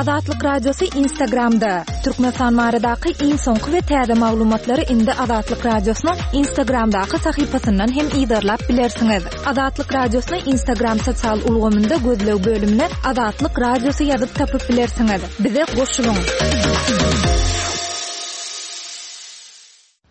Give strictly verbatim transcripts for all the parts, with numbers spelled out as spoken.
Azatlyk Radiosy Instagramda. Türkmenistan baradaky iň soňky we täze maglumatlary indi Azatlyk Radiosynyň Instagramdaky sahypasyndan hem yzarlap bilersiňiz. Azatlyk Radiosyny Instagram sosial ulgamynda gözleg bölümine Azatlyk Radiosy ýazyp tapyp bilersiňiz. Bize goşulyň.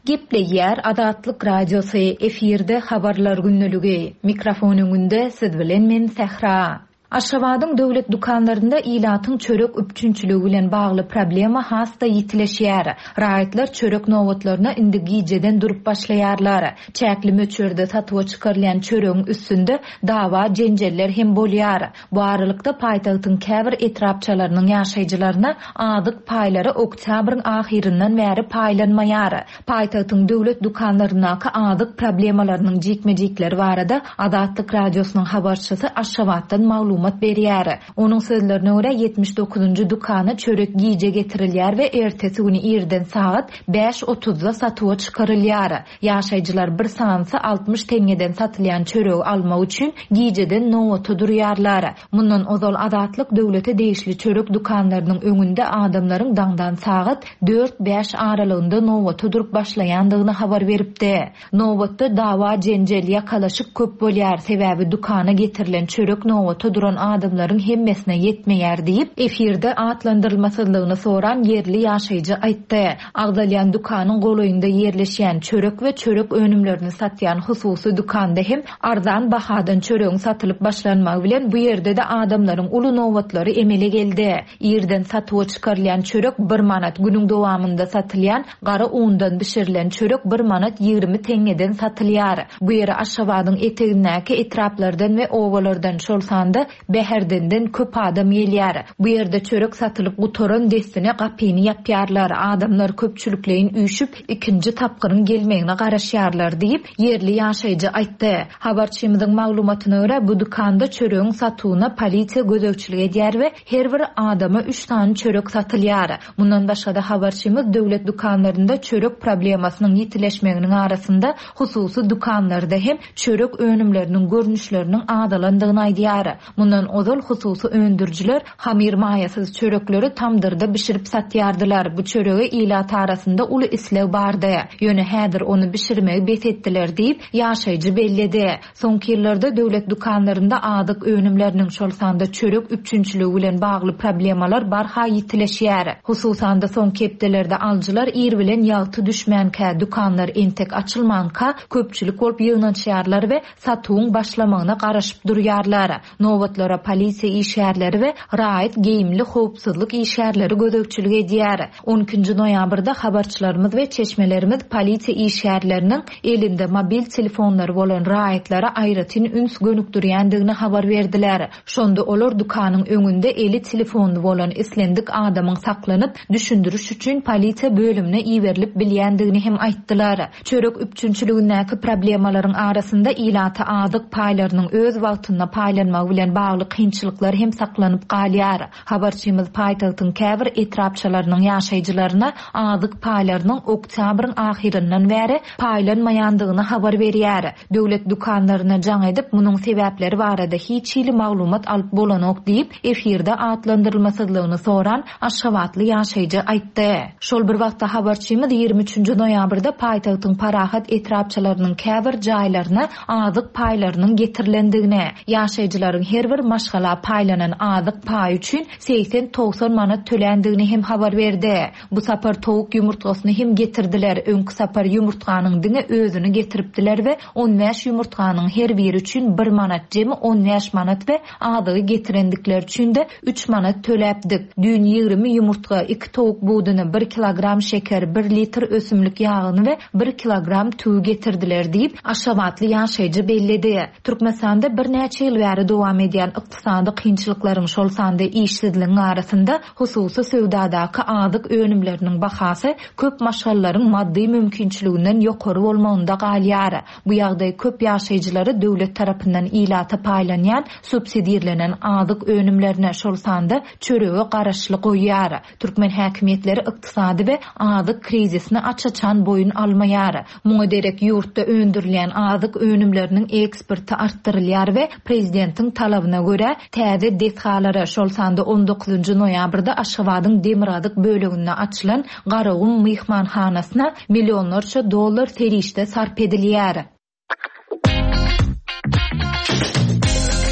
Gepleýär Azatlyk Radiosy, efirde habarlar günlügi. Mikrofon öňünde siz bilen men Sähra. Aşgabadyň döwlet dükanlarynda ilatyň çörek üpjünçiligi bilen bagly problema has-da ýitileşýär. Raýatlar çörek nobatlaryna indi gijeden durup başlaýarlar. Çäkli möçberde satuwa çykarylýan çöregiň üstünde dawa jenjeller hem bolýar. Bu aralykda paýtagtyň käbir etrapçalarynyň ýaşaýjylaryna azyk paýlary oktýabryň ahyryndan bäri paýlanmaýar. Paýtagtyň döwlet dükanlaryndaky azyk problemalarynyň jikme-jikleri barada Azatlyk Radiosynyň habarçysy Aşgabatdan maglumat berýär. Onuň sözlerine görä ýetmiş dokuzynjy dükana çörek gije getirilýär we ertesi güni irden sagat bäş otuzda satuwa çykarylýar. Ýaşaýjylar bir sanysy altmyş teňňeden satylýan çöregi almak üçin gijeden nobata durýarlar. Mundan ozal Azatlyk döwlete degişli çörek dükanlarynyň öňünde adamlaryň daňdan sagat dört-bäş aralygynda nobata durup başlaýandygyny habar beripdi. Nobatda dawa jenjel, ýakalaşyk köp bolýar, sebäbi dükana getirilen çörek nobata duran adamlaryň hemmesine ýetmeýär diýip, efirde atlandyrylmasyzlygyny soran ýerli ýaşaýjy aýtdy. Agzalýan dükanyň golaýynda ýerleşýän çörek we çörek önümlerini satýan hususy dükanda hem arzan bahadan çöregiň satylyp başlanmagy bilen bu ýerde-de adamlaryň uly nobatlary emele geldi. Irden satuwa çykarylýan çörek bir manat, günüň dowamynda satylýan gara undan bişirilen çörek bir manat ýigrimi teňňeden satylýar. Bu ýere Aşgabadyň etegindäki etraplardan we obalardan, şol sanda Bäherdenden köp adam gelýär. Bu ýerde çörek satylyp gutaran dessine gapyny ýapýarlar. Adamlar köpçülikleýin üýşüp, ikinji tapgyryň gelmegine garaşýarlar diýip, ýerli ýaşaýjy aýtdy. Habarçymyzyň maglumatyna görä, bu dükanda çöregiň satuwyna polisiýa gözegçilik edýär we her bir adama üç sany çörek satylýar. Mundan başga-da habarçymyz döwlet dükanlarynda çörek problemasynyň ýitileşmeginiň arasynda hususy dükanlarda hem çörek önümleriniň görnüşleriniň azalandygyny aýdýar. Mundan ozal hususy öndürijiler hamyr maýasyz çörekleri tamdyrda bişirip satýardylar. Bu çörege ilat arasynda uly isleg bardy. Ýöne häzir ony bişirmegi bes etdiler diýip, ýaşaýjy belledi. Soňky ýyllarda döwlet dükanlarynda azyk önümleriniň, şol sanda çörek üpjünçiligi bilen bagly problemalar barha ýitileşýär. Hususan-da soňky hepdelerde alyjylar ir bilen ýagty düşmänkä, dükanlar entek açylmanka köpçülik bolup ýygnanyşýarlar we satuwyň başlamagyna garaşyp durýarlar. Nobatlara polisiýa işgärleri we raýat geýimli howpsuzlyk işgärleri gözegçilik edýär. On ikinji noýabrda habarçylarymyz we çeşmelerimiz polisiýa işgärleriniň elinde mobil telefonlary bolan raýatlara aýratyn üns gönükdirýändigini habar berdiler. Şonda olar dükanyň öňünde eli telefonly bolan islendik adamyň saklanyp, düşündiriş üçin polisiýa bölümine iberilip bilýändigini hem aýtdylar. Çörek üpjünçiligindäki problemalaryň arasynda ilata azyk paýlarynyň öz wagtynda paýlanmagy bilen bagly kynçylyklar hem saklanyp galýar. Habarçymyz paýtagtyň käbir etrapçalarynyň ýaşaýjylaryna azyk paýlarynyň oktýabryň ahyryndan bäri paýlanmaýandygyny habar berýär. Döwlet dükanlaryna jaň edip, munuň sebäpleri barada hiç hili maglumat alyp bolanok diýip, efirde atlandyrylmasyzlygyny soran Aşgabatly ýaşaýjy aýtdy. Şol bir wagtda habarçymyz ýigrimi üçünji noýabrda paýtagtyň Parahat etrapçalarynyň käbir jaýlaryna azyk paýlarynyň getirilendigini, ýaşaýjylaryň her bir maşgala paýlanan azyk paýy üçin segsen-togsan manat töländigini hem habar berdi. Bu sapar towuk ýumurtgasyny hem getirdiler. Öňki sapar ýumurtganyň diňe özüni getiripdiler we on bäş ýumurtganyň her biri üçin bir manat, jemi on bäş manat we azygy getirendikleri üçin de üç manat töläpdik. Düýn ýigrimi ýumurtga, iki towuk buduny, bir kilogram şeker, bir litr ösümlik ýagyny we bir kilogram tüwi getirdiler diýip, Aşgabatly ýaşaýjy belledi. Türkmenistanda birnäçe ýyl bäri dowam edýän ykdysady kynçylyklaryň, şol sanda işsizligiň arasynda hususy söwdadaky azyk önümleriniň bahasy köp maşgalalaryň maddy mümkinçiliginden ýokary bolmagynda galýar. Bu ýagdaý köp ýaşaýjylary döwlet tarapyndan ilata paýlanýan subsidirlenen azyk önümlerine, şol sanda çörege garaşly goýýar. Türkmen häkimiýetleri ykdysady we azyk krizisini aç-açan boýun almaýar. Muňa derek ýurtda öndürilýän azyk önümleriniň eksporty artdyrylýar we prezidentiň talabyna habaryna görä, täze desgalara, şol sanda on dokuzynjy noýabrda Aşgabadyň demirgazyk böleginde açylan Garagum myhmanhanasyna millionlarça dollar serişde sarp edilýär.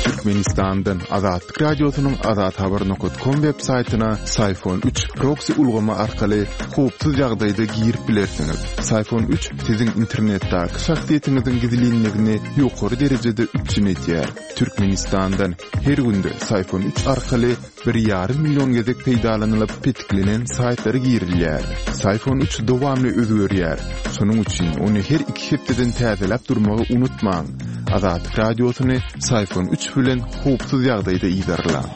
Türkmenistandan Azatlyk Radiosynyň azathabar nokta com web saýtyna Syfon üç proxy ulgamy arkaly howpsuz ýagdaýda girip bilersiňiz. Syfon üç siziň internetdäki şahsyýetiňiziň gizlinligini ýokary derejede üpjün edýär. Türkmenistandan her günde Syfon üç arkaly bir ýarym million gezek peýdalanylyp petiklenen saýtlara girilýär. Syfon üç dowamly özgerýär. Şonuň üçin ony her iki hepdeden täzeläp durmagy unutmaň. Azatlyk Radiosyny Syfon üç bilen howpsuz ýagdaýda ýerleň.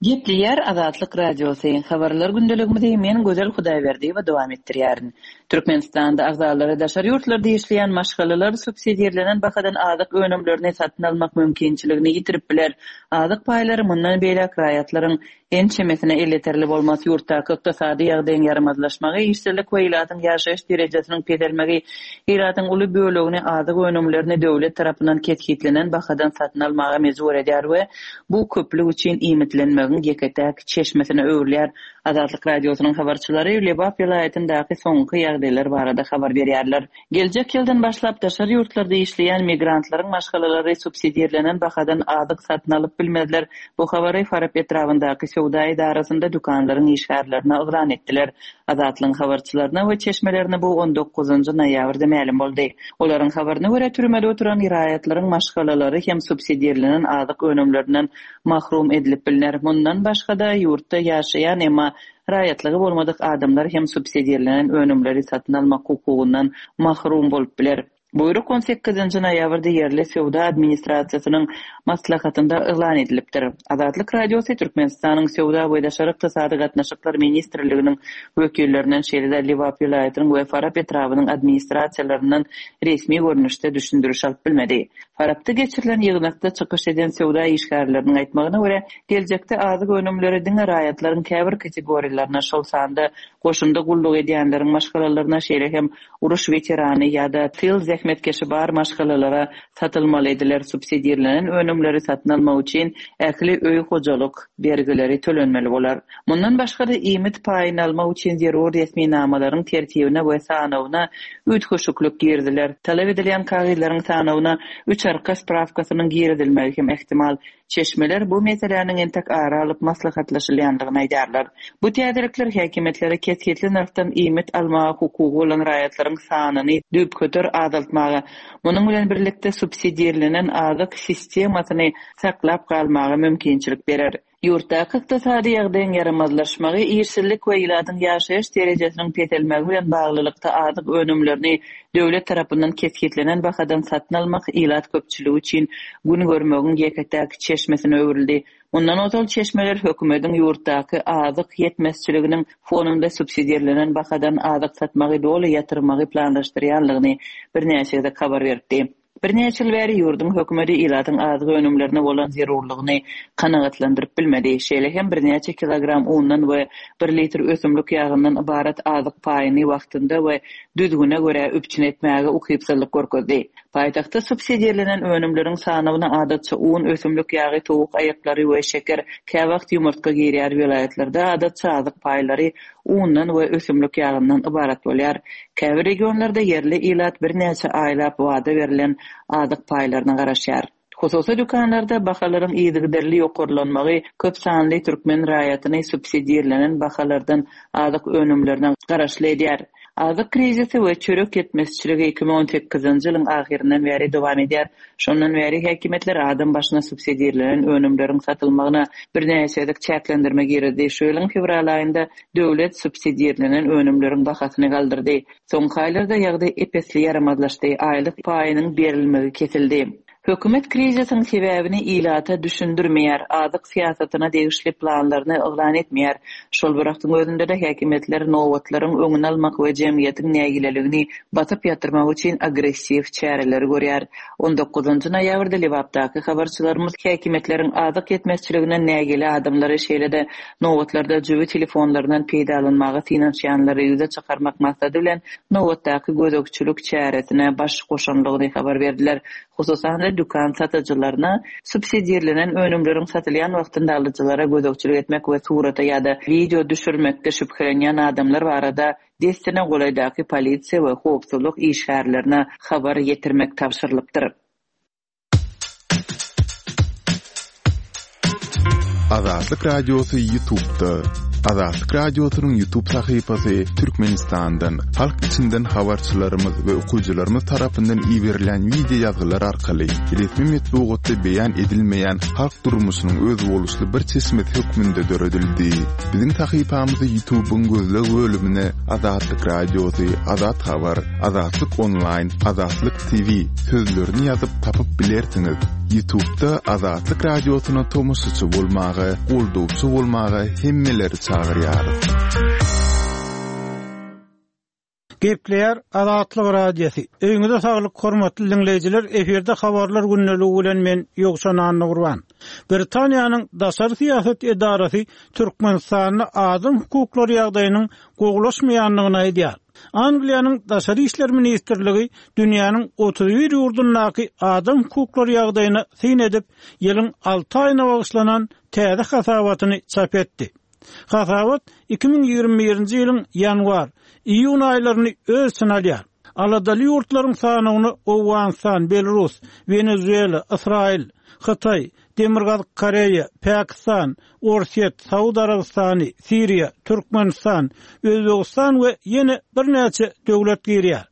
Gepleýär Azatlyk Radiosy. Habarlar gündeligimizi men Gözel Hudaýberdiýewa dowam etdirýärin. Türkmenistanda agzalary daşary ýurtlarda işleýän maşgalalar subsidirlenen bahadan azyk önümlerini satyn almak mümkinçiligini ýitirip biler. Azyk paýlary mundan beýläk raýatlaryň ençemesine elýeterli bolmaz. Ýurtdaky ykdysady ýagdaýyň ýaramazlaşmagy, işsizlik we ilatyň ýaşaýyş derejesiniň peselmegi, ilatyň uly bölegini azyk önümlerini döwlet tarapyndan kesgitlenen bahadan satyn almaga mejbur edýär we bu köplük üçin iýmitlenmegiň ýeke-täk çeşmesine öwrülýär. Azatlyk Radiosynyň habarçylary Lebap welaýatyndaky soňky ýagdaýlar barada habar berýärler. Geljek ýyldan başlap daşary ýurtlarda işleýän migrantlaryň maşgalalary subsidirlenen bahadan azyk satyn alyp bilmezler. Bu habary Farap etrabyndaky söwda edarasynda dükanlaryň işgärlerine yglan etdiler. Azatlygyň habarçylaryna we çeşmelerine bu on dokuzynjy noýabrda mälim boldy. Olaryň habaryna görä türmede oturan raýatlaryň maşgalalary hem subsidirlenen azyk önümlerinden mahrum edilip bilner. Mundan başga-da ýurtda ýaşaýan emma raýatlygy bolmadyk adamlar hem subsidirlenen önümleri satyn almak hukugyndan mahrum bolup biler. Buýruk on sekizinji noýabrda ýerli söwda administrasiýasynyň maslahatynda yglan edilipdir. Azatlyk Radiosy Türkmenistanyň Söwda we Daşary Ykdysady Gatnaşyklar Ministrliginiň wekillerinden şeýle-de Lebap welaýatynyň we Farap etrabynyň administrasiýalaryndan resmi görnüşde düşündiriş alyp bilmedi. Farapda geçirilen ýygnakda çykyş eden söwda işgärleriniň aýtmagyna görä, geljekde azyk önümleri diňe raýatlaryň käbir kategoriýalaryna, şol sanda goşunda gulluk edýänleriň maşgalalaryna, şeýle hem uruş weterany ýa-da tyl zähmetkeşi bar maşgalalara satylmaly ediler. Subsidirlenen önümleri satyn almak üçin ähli öý hojalyk bergileri tölenmeli bolar. Mundan başga-da iýmit paýyny almak üçin zerur resminamalaryň tertibine we sanawyna üýtgeşiklik girdiler. Talap edilýän kagyzlaryň sanawyna üç arka sprawkasynyň girizilmegi hem ehtimal. Çeşmeler bu meseläniň entek ara alyp maslahatlaşylýandygyny aýdarlar. Bu täzelikler häkimiýetlere kesgitli nyrhdan iýmit almaga hukugy bolan raýatlaryň sanyny düýpgöter azaltmaga, munuň bilen birlikde subsidirlenen azyk sistemasyny saklap galmaga mümkinçilik berer. Ýurtdaky ykdysady ýagdaýyň ýaramazlaşmagy, işsizlik we ilatyň ýaşaýyş derejesiniň peselmegi bilen baglylykda azyk önümlerini döwlet tarapyndan kesgitlenen bahadan satyn almak ilat köpçüligi üçin gün görmegiň ýeke-täk çeşmesine öwrüldi. Mundan ozal çeşmeler hökümetiň ýurtdaky azyk ýetmezçiliginiň fonunda subsidirlenen bahadan azyk satmagy doly ýatyrmagy planlaşdyrýanlygyny birnäçe gezek habar beripdi. Birnäçe ýyl bäri ýurduň hökümeti ilatyň azyk önümlerine bolan zerurlygyny kanagatlandyryp bilmedi. Şeýle hem birnäçe kilogram undan we bir litr ösümlik ýagyndan ybarat azyk paýyny wagtynda we düzgüne görä üpjün etmäge ukypsyzlyk görkezdi. Paýtagtda subsidirlenen önümleriň sanawyna adatça un, ösümlik ýagy, towuk aýaklary we şeker, käwagt ýumurtga girýär. Welaýatlarda adatça azyk paýlary undan we ösümlik ýagyndan ybarat bolýar. Käbir regionlarda ýerli ilat birnäçe aýlap wada berlen azyk paýlaryna garaşýar. Hususy dükanlarda bahalaryň yzygiderli ýokarlanmagy köp sanly türkmen raýatyny subsidirlenen bahalardan azyk önümlerine garaşly edýär. Azyk krizisi we çörek ýetmezçiligi iki müň on sekizinji ýylyň ahyryndan bäri dowam edýär. Şondan bäri häkimiýetler adam başyna subsidirlenen önümleriň satylmagyna birnäçe gezek çäklendirme girizdi. Şu ýylyň fewral aýynda döwlet subsidirlenen önümleriň bahasyny galdyrdy. Soňky aýlarda ýagdaý epesli ýaramazlaşdy. Aýlyk paýynyň berilmegi kesildi. Hökümet krizisiň sebäbini ilata düşündirmeýär, azyk syýasatyna degişli planlaryny yglan etmeýär. Şol bir wagtyň özünde-de häkimiýetler nobatlaryň öňüni almak we jemgyýetiň nägileligini basyp ýatyrmak üçin agressiw çäreleri görýär. on dokuzynjy noýabrda Lebapdaky habarçylarymyz häkimiýetleriň azyk ýetmezçiliginden nägile adamlary şeýle-de nobatlarda jübi telefonlaryndan peýdalanmaga synanyşýanlary ýüze çykarmak maksady bilen nobatdaky gözegçilik çäresine baş goşanlygyny habar berdiler. Hususan-da dükan satyjylaryna subsidirlenen önümleriň satylýan wagtynda alyjylara gözegçilik etmek we surata ýa-da video düşürmekde şübhelenýän adamlar barada dessine golaýdaky polisiýa we howpsuzlyk işgärlerine habar ýetirmek tabşyrylypdyr. Azatlyk Radiosy YouTube'da. Azatlyk Radiosynyň YouTube sahypasy Türkmenistandan, halk içinden habarçylarymyz we okyjylarymyz tarapyndan iberilen video ýazgylar arkaly resmi metbugatda beýan edilmeýän halk durmuşynyň özboluşly bir çeşmesi hökmünde döredildi. Biziň sahypamyzy YouTube'yň gözleg bölümine Azatlyk Radiosy, Azat Habar, Azatlyk Online, Azatlyk T V sözlerini ýazyp tapyp bilersiňiz. YouTube'da Azatlyk Radiosyna tomaşaçy bolmaga, goldawçy bolmaga hemmeleri çagyrýarys. Gepleýär Azatlyk Radiosy. Öýüňize saglyk hormatly dinleýjiler, efirde habarlar gündeligi bilen men Ýowşan Annagurban. Britaniýanyň daşary syýasat edarasy Türkmenistanda adam hukuklary ýagdaýynyň gowulaşmaýandygyny aýdýar. Angliýanyň Daşary işler ministrligi dünýäniň otuz bir ýurdundaky adam hukuklary ýagdaýyna syn edip, ýylyň alty aýyna bagyşlanan täze hasabatyny çap etdi. Hasabat iki müň ýigrimi birinji ýylyň ýanwar, iýun aýlaryny öz içine alýar. Aladaly ýurtlaryň sanyny Owganystan, Belarus, Wenezuela, Israil, Hytaý, Demirgazyk Koreýa, Pakistan, Orsýet, Saud Arabystany, Siriýa, Türkmenistan, Özbegistan we ýene birnäçe döwlet girýär.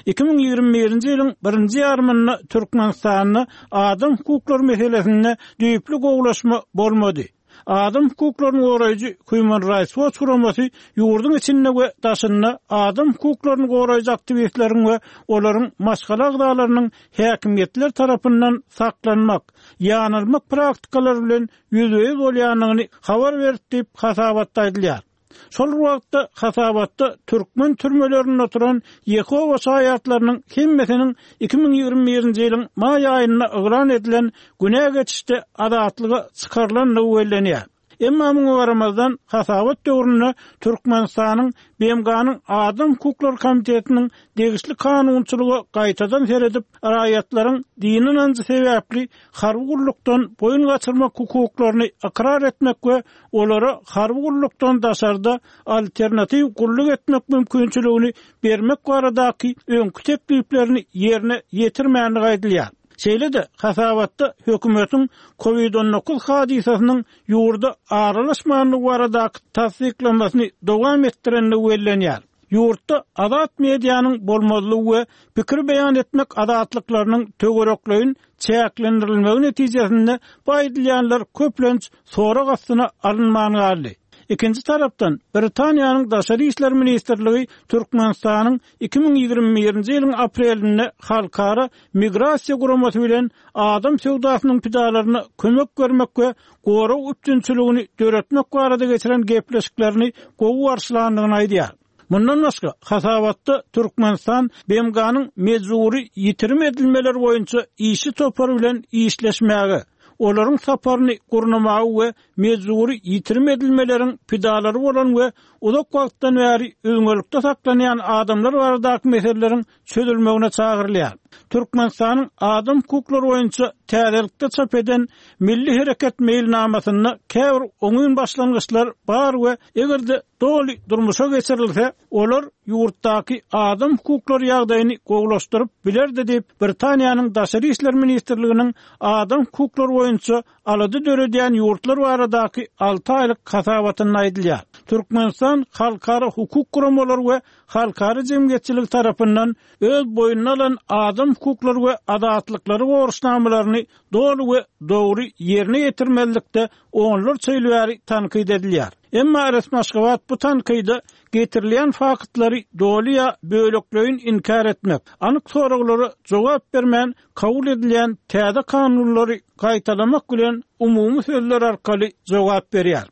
iki müň ýigrimi birinji ýylyň birinji ýarymynda Türkmenistanda adam hukuklary meselesinde düýpli gowulaşma bolmady. Adam hukuklaryny goraýjy Human Rights Watch guramasy ýurduň içinde we daşynda adam hukuklaryny goraýjy aktiwistleriň we olaryň maşgala agzalarynyň häkimiýetler tarapyndan saklanmak, ýanalmak praktikalary bilen ýüzbe-ýüz bolýandygyny habar berdi diýip hasabatda aýdylýar. Şol wagtda hasabatda türkmen türmelerinde oturan Ýehowa şaýatlarynyň hemmesiniň iki müň ýigrimi birinji ýylyň maý aýynda yglan edilen günä geçişde azatlyga çykarylandygy bellenýär. Emma muňa garamazdan hasabat döwründe Türkmenistanyň B M G-nyň Adam hukuklary komitetiniň degişli kanunçylyga gaýtadan seredip, raýatlaryň dini ynanjy sebäpli harby gullukdan boýun gaçyrmak hukuklaryny ykrar etmek we olara harby gullukdan daşarda alternatiw gulluk etmek mümkinçiligini bermek baradaky öňki tekliplerini ýerine ýetirmänligi aýdylýar. Şeýle-de hasabatda hökümetiň COVID on dokuz hadysasynyň ýurda aralaşmanlygy baradaky tassyklamasyny dowam etdirenligi bellenýär. Ýurtda azat medianyň bolmazlygy we pikir beýan etmek azatlyklarynyň töwerekleýin çäklendirilmegi netijesinde bu aýdylýanlar köplenç sorag astyna alynman galdy. Ikinji tarapdan Britaniýanyň Daşary işler ministrligi Türkmenistanyň iki müň ýigrimi birinji ýylyň aprelinde halkara migrasiýa guramasy bilen adam söwdasynyň pidalaryna kömek bermek we gorag üpjünçiligini döretmek barada geçiren gepleşiklerini gowy garşylandygyny aýdýar. Mundan başga hasabatda Türkmenistan B M G-nyň mejbury ýitirim edilmeleri boýunça işçi topary bilen işleşmäge, olaryň saparyny gurnamagy we mejbury ýitirim edilmeleriň pidalary bolan we uzak wagtdan bäri üzňelikde saklanýan adamlar baradaky meseleleriň çözülmegine çagyrylýar. Türkmenistanyň adam hukuklary boýunça täzelikde çap eden Milli Hereket meýilnamasynda käbir oňyn başlangyçlar bar we eger-de doly durmuşa geçirilse, olar ýurtdaky adam hukuklary ýagdaýyny gowulaşdyryp bilerdi diýip Britaniýanyň Daşary işler ministrliginiň adam hukuklary boýunça alada döredýän ýurtlar baradaky alty aýlyk hasabatynda aýdylýar. Türkmenistan halkara hukuk guramalary we halkara jemgyýetçiligi tarapyndan öz boýnuna alan adam hukuklary we azatlyklary borçnamalaryny doly we dogry ýerine ýetirmelilikde onlarça ýyl bäri tankyt edilýär. Emma resmi Aşgabat bu tankyda Getirilýän faktlary doly ýa bölekleýin inkär etmek, anyk soraglara jogap bermän kabul edilýän täze kanunlary gaýtalamak bilen umumy sözler arkaly jogap berýär.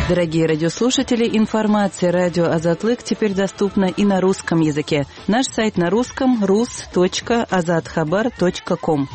Дорогие радиослушатели, информация радио Азатлык теперь доступна и на русском языке. Наш сайт на русском rus.azathabar.com.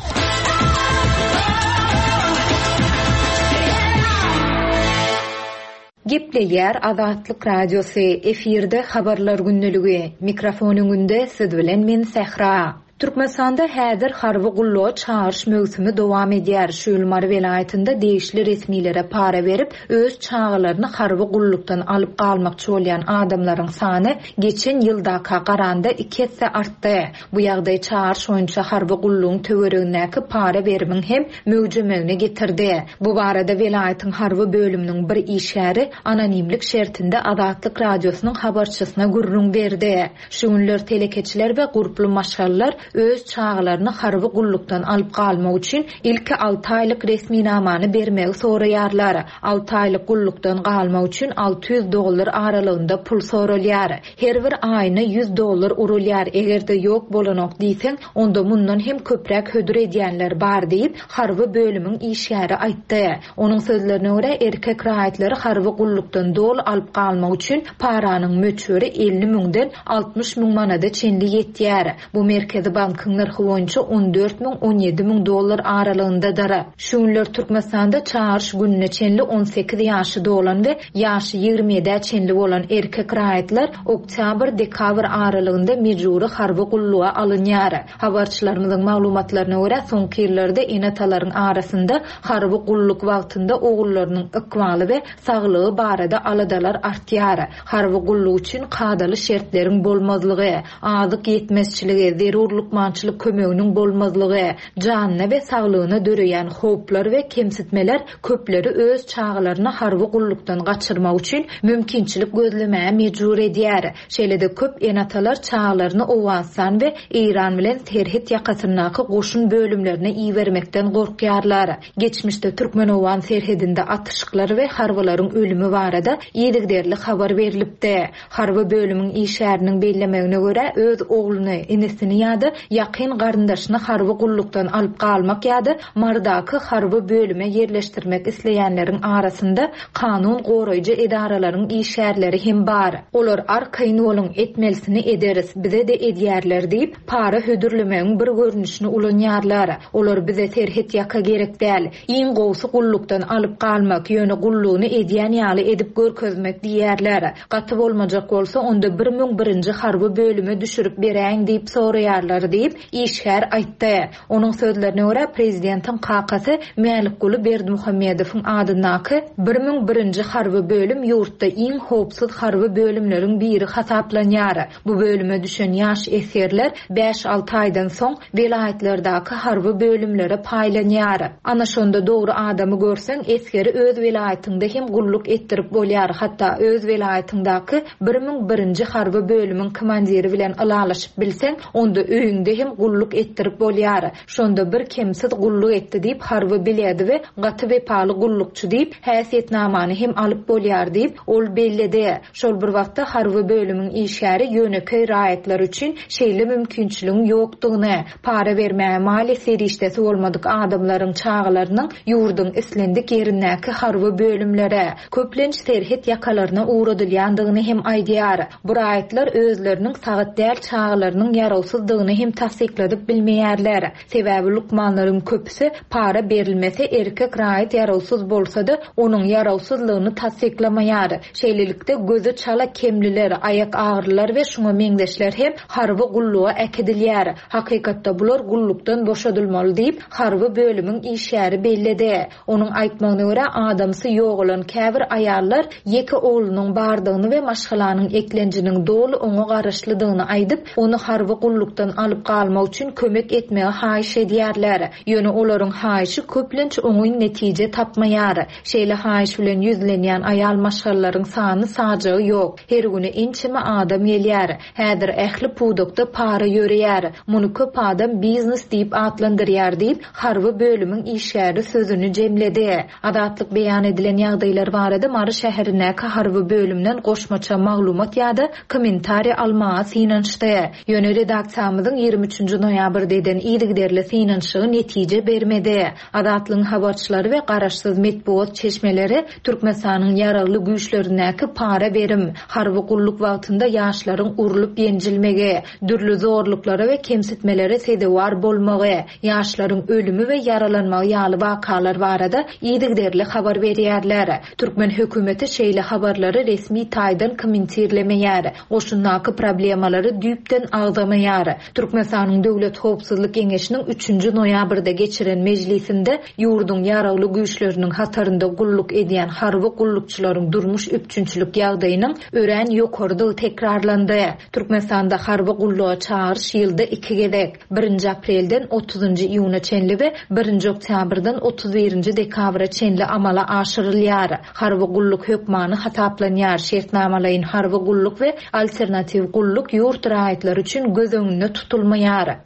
Gepleýär Azatlyk Radiosy, efirde habarlar gündeligi. Mikrofon öňünde siz bilen men Sähra. Türkmenistanda häzir harby gulluğa çağırış möwsümi dowam edýär. Şu ýyl Mary welaýatynda degişli resmilere para berip, öz çagalaryny harby gullukdan alyp galmakçy bolýan adamlaryň sany geçen ýyldaka garanda iki esse artdy. Bu ýagdaý çağırış boýunça harby gullugyň töweregindäki para berimiň hem möwjemegine getirdi. Bu barada welaýatyň harby bölüminiň bir işgäri anonimlik şertinde Azatlyk Radiosynyň habarçysyna gürrüň berdi. Şu günler telekeçiler we gurply maşgalalar öz çagalaryny harby gullukdan alyp galmak üçin ilki alty aýlyk resminamany bermegi soraýarlar. Alty aýlyk gullukdan galmak üçin alty ýüz dollar aralygynda pul soralýar. Her bir aýyna ýüz dollar urulýar. Eger-de ýok bolanok diýseň, onda mundan hem köpräk hödür edýänler bar diýip, harby bölümiň işgäri aýtdy. Onuň sözlerine görä, erkek raýatlary harby gullukdan doly alyp galmak üçin paranyň möçberi elli müňden altmyş müň manada çenli ýetýär. Bu Merkezi bankyň nyrhy boýunça on dört müň on ýedi müň dollar aralygyndadyr. Şu günler Türkmenistanda çağırış gününe çenli on sekiz ýaşy dolan we ýaşy ýigrimi ýedä çenli bolan erkek raýatlar oktyabr-dekabr aralygynda mejbury harby gulluğa alynýar. Habarçylarymyzyň maglumatlaryna görä, soňky ýyllarda ene-atalaryň arasynda harby gulluk wagtynda ogullarynyň ykbaly we saglygy barada aladalar artýar. Harby gulluk üçin kadaly şertleriň bolmazlygy, azyk ýetmezçiligi, zerur lukmançylyk kömeginiň bolmazlygy, janyna we saglygyna döreýän howplar we kemsitmeler köpleri öz çagalaryny harby gullukdan gaçyrmak üçin mümkinçilik gözlemäge mejbur edýär. Şeýle-de köp ene-atalar çagalaryny Owganystan we Eýran bilen serhet ýakasyndaky goşun bölümlerine ibermekden gorkýarlar. Geçmişde Türkmen-Owgan serhedinde atyşyklar we harbylaryň ölümi barada yzygiderli habar berilipdi. Harby bölümiň işgäriniň bellemegine görä, öz ogluny, inisini ýa-da ýakyn garyndaşyny harby gullukdan alyp galmak ýa-da Marydaky harby bölüme ýerleşdirmek isleýänleriň arasynda kanun goraýjy edaralaryň işgärleri hem bar. Olar arkaýyn boluň, etmelisini ederis, bize de edýärler diýip, para hödürlemegiň bir görnüşini ulanýarlar. Olar bize serhet ýaka gerek däl. Iň gowsy gullukdan alyp galmak, ýöne gullugyny edýän ýaly edip görkezmek diýerler. Gaty bolmajak bolsa, onda bir müň birinji harby bölüme düşürip beräýiň diýip soraýarlar diýip, işgär aýtdy. Onuň sözlerine görä, prezidentiň kakasy Mälikguly Berdimuhamedowyň adyndaky bir müň birinji harby bölüm ýurtda iň howpsuz harby bölümleriň biri hasaplanýar. Bu bölüme düşen ýaş esgerler bäş alty aýdan soň welaýatlardaky harby bölümlere paýlanýar. Ana şonda dogry adamy görseň, esgeri öz welaýatyňda hem gulluk etdirip bolýar. Hatda öz welaýatyňdaky bir müň birinji harby bölümiň komandiri bilen ylalaşyp bilseň, onda öýüňde hem gulluk etdirip bolýar. Şonda bir kemsiz gulluk etdi diýip harby biledi we gaty wepaly gullukçy diýip häsiýetnamany hem alyp bolýar diýip ol belledi. Şol bir wagtda harby bölümiň işgäri ýönekeý raýatlar üçin şeýle mümkinçiligiň ýokdugyny, para bermäge maliýe serişdesi bolmadyk adamlaryň çagalarynyň ýurduň islendik ýerindäki harby bölümlere, köplenç serhet ýakalaryna ugradylýandygyny hem aýdýar. Bu raýatlar özleriniň sagat däl çagalarynyň ýarawsyzdygyny hem tassykladyp bilmeýärler. Sebäbi lukmanlaryň köpüsi para berilmese erkek raýat ýarawsyz bolsa-da onuň ýarawsyzlygyny tassyklamaýar. Şeýlelikde gözi çala kemliler, aýak agrylar we şuňa meňzeşler hem harby gulluğa äkidilýär. Hakykatda bular gullukdan boşadylmaly diýip harby bölümiň işgäri belledi. Onuň aýtmagyna görä, adamsy ýogalan käbir aýallar ýeke oglunyň bardygyny we maşgalanyň eklenjiniň doly oňa garaşlydygyny aýdyp, ony harby gullukdan alyp alyp galmak üçin kömek etmegi haýyş edýärler. Ýöne olaryň haýyşy köplenç oňyn netije tapmaýar. Şeýle haýyş bilen ýüzlenýän aýal maşgalalaryň sany sajagy ýok. Her güni ençeme adam gelýär. Häzir ähli pudakda para ýöreýär. Muny köp adam biznes diýip atlandyrýar diýip, harby bölümiň işgäri sözüni jemledi. Azatlyk beýan edilen ýagdaýlar barada Mary şäherindäki harby bölümden goşmaça maglumat ýa-da kommentariýa almaga synanyşdy. Ýöne redaksiýamyzyň ýigrimi üçünji noýabrda eden yzygiderli synanyşygy netije bermedi. Azatlygyň habarçylary we garaşsyz metbugat çeşmeleri Türkmenistanyň ýaragly güýçlerindäki para berim, harby gulluk wagtynda ýaşlaryň urlup ýenjilmegi, dürli zorluklara we kemsitmelere sezewar bolmagy, ýaşlaryň ölümi we ýaralanmagy ýaly wakalar barada yzygiderli habar berýärler. Türkmen hökümeti şeýle habarlary resmi taýdan kommentirlemeýär. Goşundaky problemalary düýpden agzamaýar. Türkmenistanyň Döwlet Howpsuzlyk Geňeşiniň üçünji noýabrda geçiren mejlisinde ýurduň ýaragly güýçleriniň hatarynda gulluk edýän harby gullukçylaryň durmuş üpjünçilik ýagdaýynyň örän ýokarydygy tekrarlandy. Türkmenistanda harby gulluğa çagyryş ýylda iki gezek, birinji aprelden otuzynjy iýuna çenli we birinji oktýabrdan otuz birinji dekabra çenli amala aşyrylýar. Harby gulluk hökmany hasaplanýar. Şertnamalaýyn harby gulluk we alternatiw gulluk ýurt raýatlary üçin göz öňünde tutulmaýar.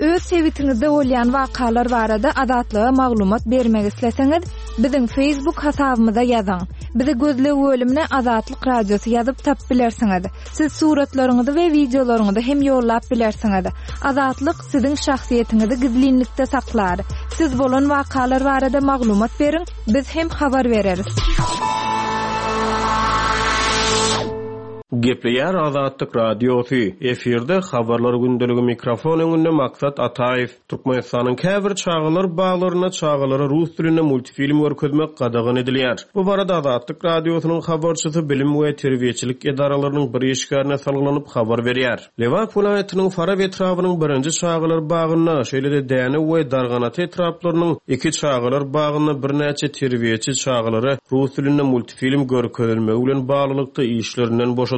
Öz sebitiňizde bolýan wakalar barada Azatlyga maglumat bermek isleseňiz, biziň Facebook hasabymyza ýazyň. Bizi gözleg bölümine Azatlyk Radiosy ýazyp tap bilersiňiz. Siz suratlaryňyzy we wideolaryňyzy hem ýollap bilersiňiz. Azatlyk siziň şahsyýetiňizi gizlinlikde saklar. Siz bolan wakalar barada maglumat beriň, biz hem habar bereris. Gepleýär Azatlyk Radiosy. Efirde habarlar gündeligi mikrofon öňünde Maksat Ataýew. Türkmenistanyň käbir çagalar baglarynda çagalara rus dilinde multfilm görkezmek gadagan edilýär. Bu barada Azatlyk Radiosynyň habarçysy bilim we terbiýeçilik edaralarynyň bir işgärine salgylanyp habar berýär. Lebap welaýatynyň Farap etrabynyň birinji çagalar bagynda, şeýle-de Däne we Darganata etraplarynyň iki çagalar bagynda birnäçe terbiýeçi çagalara rus dilinde multfilm görkezilmegi bilen baglylykda işlerinden boşadyldy.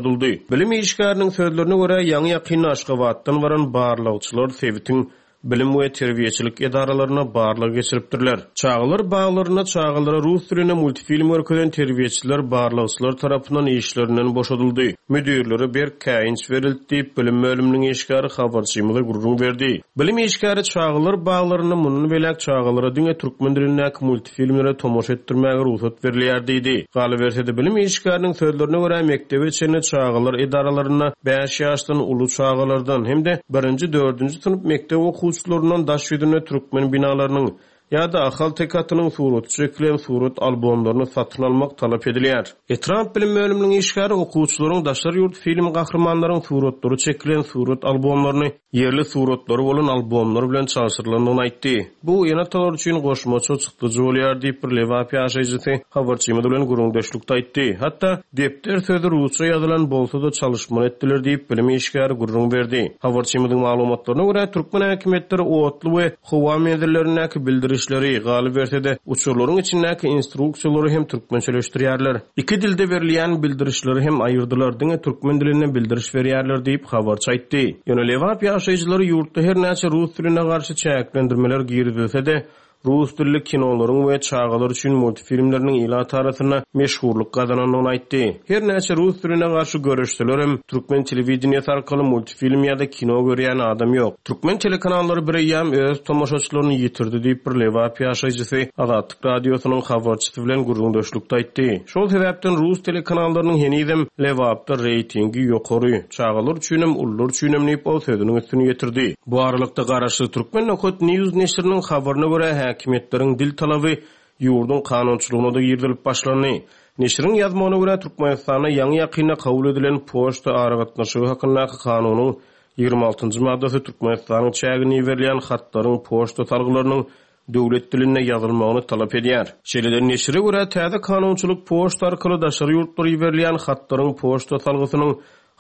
Bilim işgäriniň sözlerine görä, ýaňy ýakynda Aşgabatdan baran barlagçylar sebitiň bilim we terbiýeçilik edaralaryna barlag geçiripdirler. Çagalar baglarynda çagalara rus dilinde multfilm görkezen terbiýeçiler barlagçylar tarapyndan işlerinden boşadyldy. Müdürlere berk käýinç berildi diýip bilim bölüminiň işgäri habarçymyza gürrüň berdi. Bilim işgäri çagalar baglarynda mundan beläk çagalara diňe türkmen dilindäki multfilmlere tomaşa etdirmäge rugsat berilýär diýdi. Galyberse-de bilim işgäriniň sözlerine görä mekdebe çenli çagalar edaralarynda bäş ýaşdan uly çagalardan hem-de birinji dördünji synp mekdep okuwçylaryndan daş ýüzünde türkmen binalarynyň ýa-da Ahal tekatynyň suraty çekilen surat albomlaryny satyn almak talap edilýär. Etrap bilim bölüminiň işgäri okuwçylaryň daşary ýurt film gahrymanlaryň suratlary çekilen surat albomlaryny ýerli suratlary bolan albomlar bilen çalşyrylandygyny aýtdy. Bu ene-atalar üçin goşmaça çykdyjy bolýar diýip bir Lebap ýaşaýjysy habarçymyz bilen gürrüňdeşlikde aýtdy. Hatda depder sözi rusça ýazylan bolsa-da çalyşmaly etdiler diýip bilim işgäri gürrüň berdi. Habarçymyzyň maglumatlaryna görä türkmen häkimiýetleri otly we howa menzillerindäki bildirişleri, galyberse-de uçarlaryň içindäki instruksiýalary hem türkmençeleşdirýärler. Iki dilde berilýän bildirişleri hem aýyrdylar, diňe türkmen dilinde bildiriş berýärler diýip habarçy aýtdy. Ýöne Lebap ýaşaýjylary ýurtda her näçe rus diline garşy çäklendirmeler girizilse-de, rus dilli kinolaryň we çagalar üçin multfilmleriniň ilat arasynda meşhurlyk gazanandygyny aýtdy. Her näçe rus diline garşy görüşseler hem türkmen telewideniýesi arkaly multfilm ýa-da kino görýän adam ýok. Türkmen telekanallary bir eýýäm öz tomaşaçylaryny ýitirdi diýip bir Lebap ýaşaýjysy Azatlyk Radiosynyň habarçysy bilen gürrüňdeşlikde aýtdy. Şol sebäpden rus telekanallarynyň henizem Lebapda reýtingi ýokary, çagalar üçin hem ulular üçin hem diýip ol sözüniň üstüni ýetirdi. Bu aralykda garaşsyz Türkmen Nokat News neşiriniň habaryna görä häkimiýetleriň dil talaby ýurduň kanunçylygyna da girizilip başlandy. Neşiriň ýazmagyna görä Türkmenistanda ýaňy ýakynda kabul edilen poçta aragatnaşygy hakyndaky kanunyň ýigrimi altynjy maddasy Türkmenistanyň çägine berilýän hatlaryň poçta salgylarynyň döwlet dilinde ýazylmagyny talap edýär. Şeýle-de neşire görä täze kanunçylyk poçta arkaly daşary ýurtlara berilýän hatlaryň poçta salgysynyň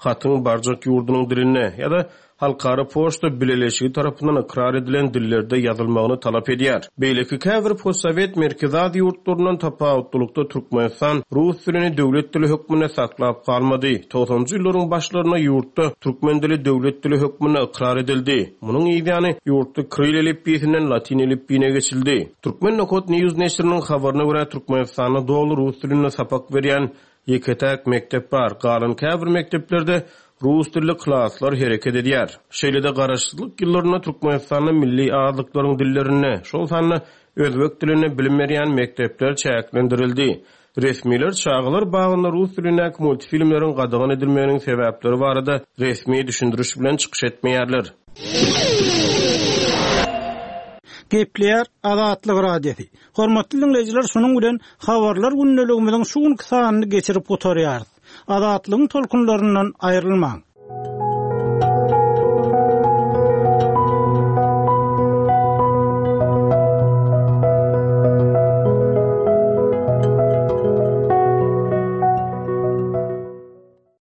hatyň barjak ýurdunyň dilinde ýa-da Halkara poçta bileleşigi tarapyndan ykrar edilen dillerde ýazylmagyny talap edýär. Beýleki käbir postsowet Merkezi Aziýa ýurtlaryndan tapawutlylykda Türkmenistan rus dilini döwlet dili hökmünde saklap galmady. Togsanynjy ýyllaryň başlarynda ýurtda türkmen dili döwlet dili hökmünde ykrar edildi. Munuň yzýany ýurtda kiril elipbiýsinden latyn elipbiýine geçildi. Turkmen nokat news neşiriniň habaryna görä, Türkmenistanda doly rus dilinde sapak berýän ýeke-täk mekdep bar. Galan käbir mekdeplerde rus dilli klaslar hereket edýär. Şeýle-de garaşsyzlyk ýyllarynda Türkmenistanda milli azlyklaryň dillerinde, şol sanda özbek dilinde bilim berýän mekdepler çäklendirildi. Resmiler çagalar bagynda rus dilindäki multfilmleriň gadagan edilmeginiň sebäpleri barada resmi düşündiriş bilen çykyş etmeýärler. Gepleýär Azatlyk Radiosy. Hormatly dinleýjiler, şunuň bilen habarlar gündeligimiziň şu günki sanyny geçirip gutarýarys. Azatlygyň tolkunlaryndan aýrylmaň.